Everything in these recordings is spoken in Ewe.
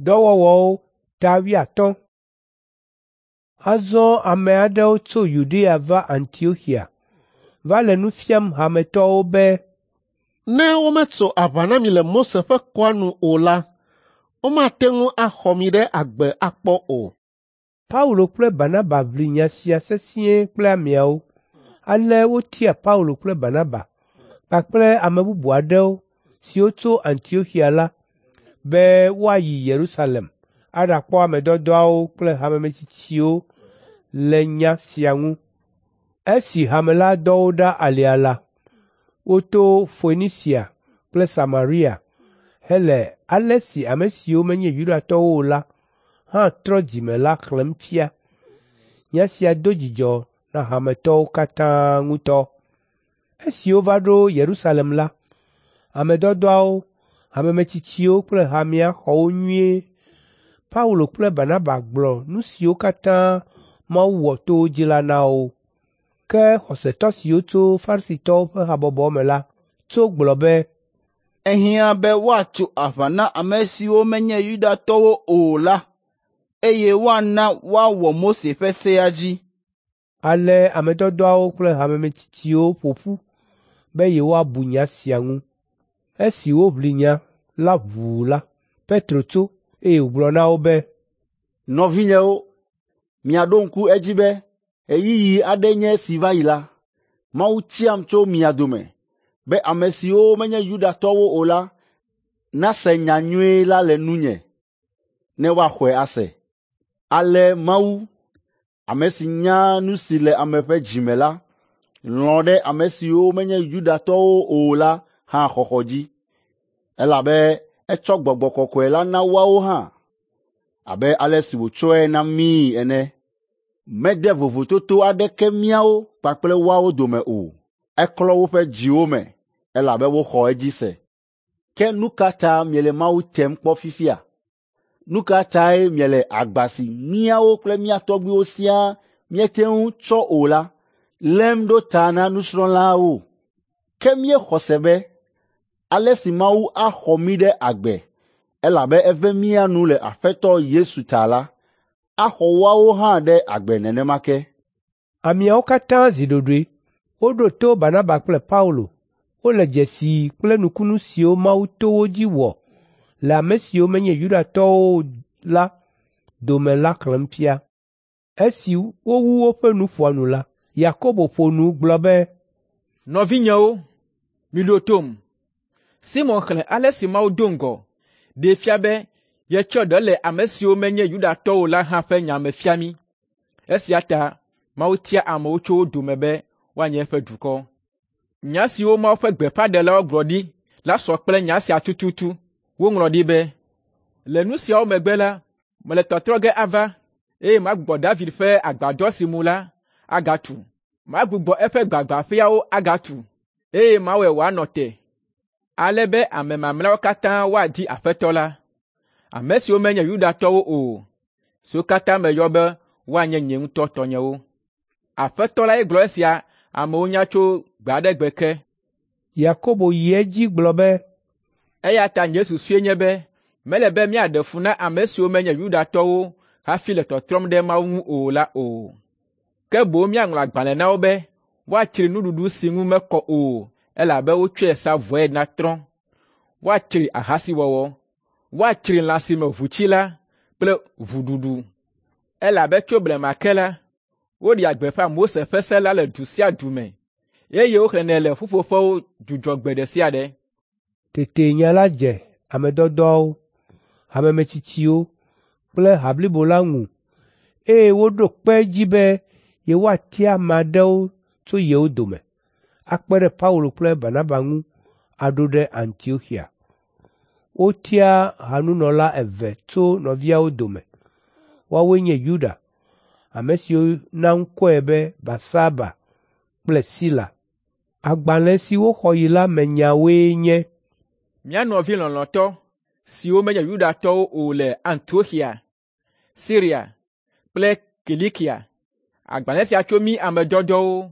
Dɔwɔwɔwo ta 50. Azɔ ame aɖewo tso Yudea va Antioxia va le nu fiam hametɔwo be, Ne wometso aʋa na mi le Mose ƒe kɔa nu o la, womate ŋu axɔ mi ɖe agbe akpɔ o. Paulo kple Barnaba ʋli nya sia sesĩe kple ameawo. Ale wotia Paulo kple Barnaba kpakple ame bubu aɖewo siwo tso Antioxia la be woayi Yerusalem aɖakpɔ ame dɔdɔawo kple hamemetsitsiwo le nya sia ŋu. Esi hame la dɔ wo ɖa alea la, woto Foenisia kple Samaria hele ale si ame siwo menye Yudatɔwo o la hã trɔ dzime la xlẽm fia. Nya sia do dzidzɔ na hametɔwo katã ŋutɔ. Esi wova ɖo Yerusalem la, ame dɔdɔawo, hamemetsitsiwo kple hamea xɔ wo nyuie. Paulo kple Barnaba gblɔ nu siwo katã Mawu wɔ to wo dzi la na wo. Ke xɔsetɔ siwo tso Farisitɔwo ƒe habɔbɔ me la tso gblɔ be, Ehiã be woatso aʋa na ame siwo menye Yudatɔwo o la, eye woana woawɔ Mose ƒe sea dzi. Ale ame dɔdɔawo kple hamemetsitsiwo ƒo ƒu be yewoabu nya sia ŋu. Esi woʋli nya la ʋuu la, Petro tso, eye wògblɔ na wo be, Nɔvinyewo, miaɖo ŋku edzi be ɣeyiɣi aɖe nye esi va yi la, Mawu tiam tso mia dome be ame siwo menye Yudatɔwo o la nase nyanyui la le nunye ne woaxɔe ase. Ale Mawu, ame si nya nu si le ame ƒe dzi me la, lɔ̃ ɖe ame siwo menye Yudatɔwo o la hã xɔxɔ dzi, elabe etsɔ Gbɔgbɔ Kɔkɔe la na woawo hã abe ale si wòtsɔe na míi ene. Mede vovototo aɖeke míawo kpakple woawo dome o. Eklɔ woƒe dziwo me elabe woxɔ edzi se. Ke nu ka ta miele Mawu tem kpɔ fifia? Nu ka tae miele agba si míawo kple mía tɔgbuiwo siaa míete ŋu tsɔ o la lém ɖo ta na nusrɔ̃lawo? Ke míexɔ se be ale si Mawu axɔ mí ɖe agbe, elabe eve mía nu le Aƒetɔ Yesu ta la, axɔ woawo hã ɖe agbe nenema ke. Ameawo katã zi ɖoɖoe. Woɖo to Barnaba kple Paulo. Wole dzesi kple nukunu siwo Mawu to wo dzi wɔ le ame siwo menye Yudatɔwo o la dome la xlẽm fia. Esi wowu woƒe nuƒoa nu la, Yakobo ƒo nu gblɔ be, Nɔvinyewo, miɖo tom. Simɔn xlẽ ale si Mawu do ŋgɔ ɖee fia be yetsɔ ɖe le ame siwo menye Yudatɔwo o la hã ƒe nya me fia mí. Esia ta Mawu tia amewo tso wo dome be woanye eƒe dukɔ. Nya siwo Mawu ƒe gbeƒãɖelawo gblɔ ɖi la sɔ kple nya sia tututu. Woŋlɔ ɖi be, “Le nu siawo megbe la, mele tɔtrɔ ge ava, eye magbugbɔ David ƒe agbadɔ si mu la agatu. Magbugbɔ eƒe gbagbãƒeawo agatu, eye mawɔe wòanɔ te, ale be ame mamlɛawo katã woadi Aƒetɔ la, ame siwo menye Yudatɔwo o, siwo katã meyɔ be woanye nye ŋutɔ tɔnyewo.” Aƒetɔ lae gblɔ esia amewo nya tso gbe aɖe gbe ke. Yakobo yi edzi gblɔ be, Eya ta nye susue nye be mele be míaɖe fu na ame siwo menye Yudatɔwo hafi le tɔtrɔm ɖe Mawu ŋu o la o. Ke boŋ míaŋlɔ agbalẽ na wo be woatsri nuɖuɖu si ŋu mekɔ o elabe wotsɔe sa vɔe na trɔ̃, woatsri ahasiwɔwɔ, woatsri lã si me ʋu tsi la kple ʋuɖuɖu. Elabe tso blema ke la, woɖea gbeƒã Mose ƒe se la le du sia du me, eye woxlẽnɛ le ƒuƒoƒewo dzudzɔgbe ɖe sia ɖe. Tete nya la dze ame dɔdɔawo, hamemetsitsiwo kple ha blibo la ŋu eye woɖo kpe edzi be yewoatia ame aɖewo tso yewo dome, akpe ɖe Paulo kple Barnaba ŋu aɖo ɖe Antioxia. Wotia hanunɔla eve tso nɔviawo dome. Woawoe nye Yuda, ame si wona ŋkɔe be Barsaba kple Sila. Agbalẽ si woxɔ yi la me nyawoe nye: Mía nɔvi lɔlɔ̃tɔ siwo menye Yudatɔwo o le Antioxia, Siria kple Kilikia, agbalẽ sia tso mí ame dɔdɔwo,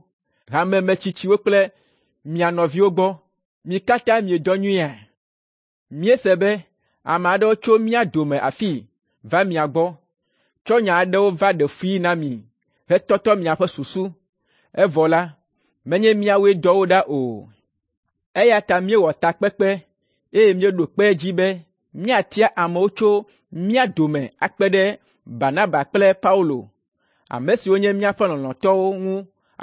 hamemetsitsiwo kple mia nɔviwo gbɔ. Mi katã miedɔ nyuiea? Míese be Ame aɖewo tso mía dome afii va mia gbɔ, tsɔ nya aɖewo va ɖe fui na mi hetɔtɔ miaƒe susu, evɔ la, menye míawoe dɔ wo ɖa o. Eya ta míewɔ takpekpe eye míeɖo kpe edzi be míatia amewo tso mía dome akpe ɖe Barnaba kple Paulo, ame siwo nye míaƒe lɔlɔ̃tɔwo ŋu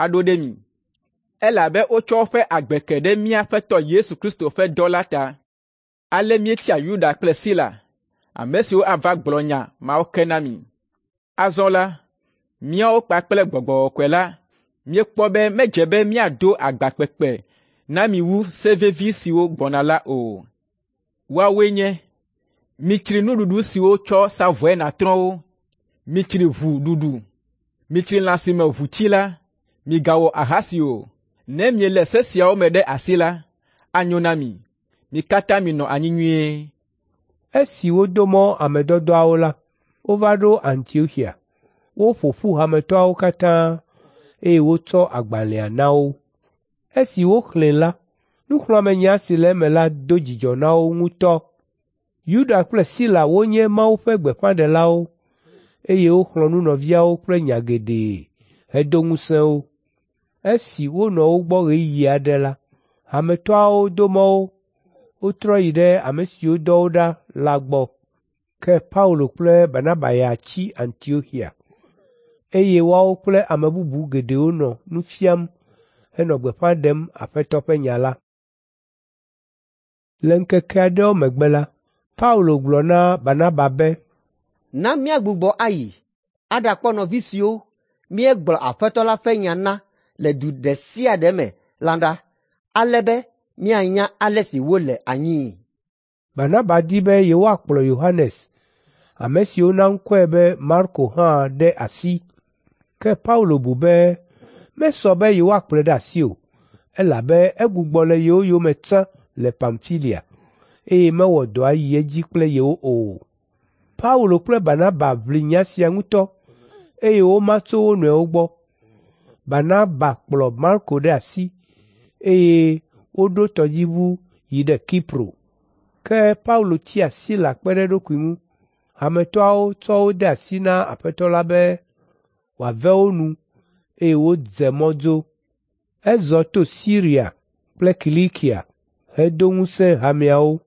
aɖo ɖe mi, elabe wotsɔ woƒe agbe ke ɖe mía Aƒetɔ Yesu Kristo ƒe dɔ la ta. Ale míetia Yuda kple Sila, ame siwo ava gblɔ nya mawo ke na mi. Azɔ la, míawo kpakple Gbɔgbɔ Kɔkɔe la míekpɔ be medze be míado agba kpekpe na mi wu se vevi siwo gbɔna la o. Woawoe nye: mitsri nuɖuɖu siwo wotsɔ sa vɔe na trɔ̃wo, mitsri ʋu ɖuɖu, mitsri lã si me ʋu tsi la, migawɔ ahasi o. Ne mielé se siawo me ɖe asi la, anyo na mi. Mi katã minɔ anyi nyuie. Esi wodo mɔ ame dɔdɔawo la, wova ɖo Antioxia. Woƒo ƒu hametɔawo katã, eye wotsɔ agbalẽa na wo. Esi woxlẽe la, nuxlɔ̃amenya si le eme la do dzidzɔ na wo ŋutɔ. Yuda kple Sila wonye Mawu ƒe gbeƒãɖelawo, eye woxlɔ̃ nu nɔviawo kple nya geɖe hedo ŋusẽ wo. Esi wonɔ wo gbɔ ɣeyiɣi aɖe la, hametɔawo do mɔ wo, wotrɔ yi ɖe ame siwo dɔ wo ɖa la gbɔ. Ke Paulo kple Barnaba ya tsi Antioxia, eye woawo kple ame bubu geɖewo nɔ nu fiam henɔ gbeƒã ɖem Aƒetɔ ƒe nya la. Le ŋkeke aɖewo megbe la, Paulo gblɔ na Barnaba be, Na míagbugbɔ ayi aɖakpɔ nɔvi siwo míegblɔ Aƒetɔ la ƒe nya na le du ɖe sia ɖe me la ɖa, ale be míanya ale si wole anyii. Barnaba di be yewoakplɔ Yohanes, ame si wona ŋkɔe be Marko hã ɖe asi. Ke Paulo bu be mesɔ be yewoakplɔe ɖe asi o, elabe egbugbɔ le yewo yome tsã le Pamfilia, eye mewɔ dɔa yi edzi kple yewo o. Paulo kple Barnaba ʋli nya sia ŋutɔ, eye woma tso wo nɔewo gbɔ. Barnaba kplɔ Marko ɖe asi, eye woɖo tɔdziʋu yi ɖe Kipro. Ke Paulo tia Sila kpe ɖe eɖokui ŋu. Hametɔawo tsɔ wo de asi na Aƒetɔ la be wòave wo nu, eye wodze mɔ dzo. Ezɔ to Siria kple Kilikia hedo ŋusẽ hameawo.